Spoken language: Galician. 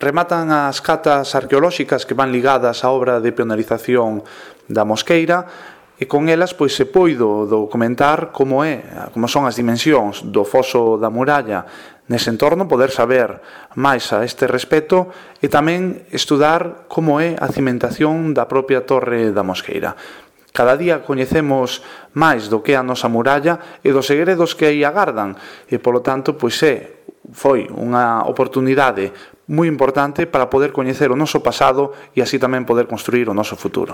Rematan as catas arqueolóxicas que van ligadas á obra de pionerización da Mosqueira e con elas pois se poido documentar como son as dimensións do foso da muralla nese entorno, poder saber máis a este respecto e tamén estudar como é a cimentación da propia Torre da Mosqueira. Cada día coñecemos máis do que é a nosa muralla e dos segredos que aí agardan e, polo tanto, pois foi unha oportunidade moi importante para poder coñecer o noso pasado e así tamén poder construir o noso futuro.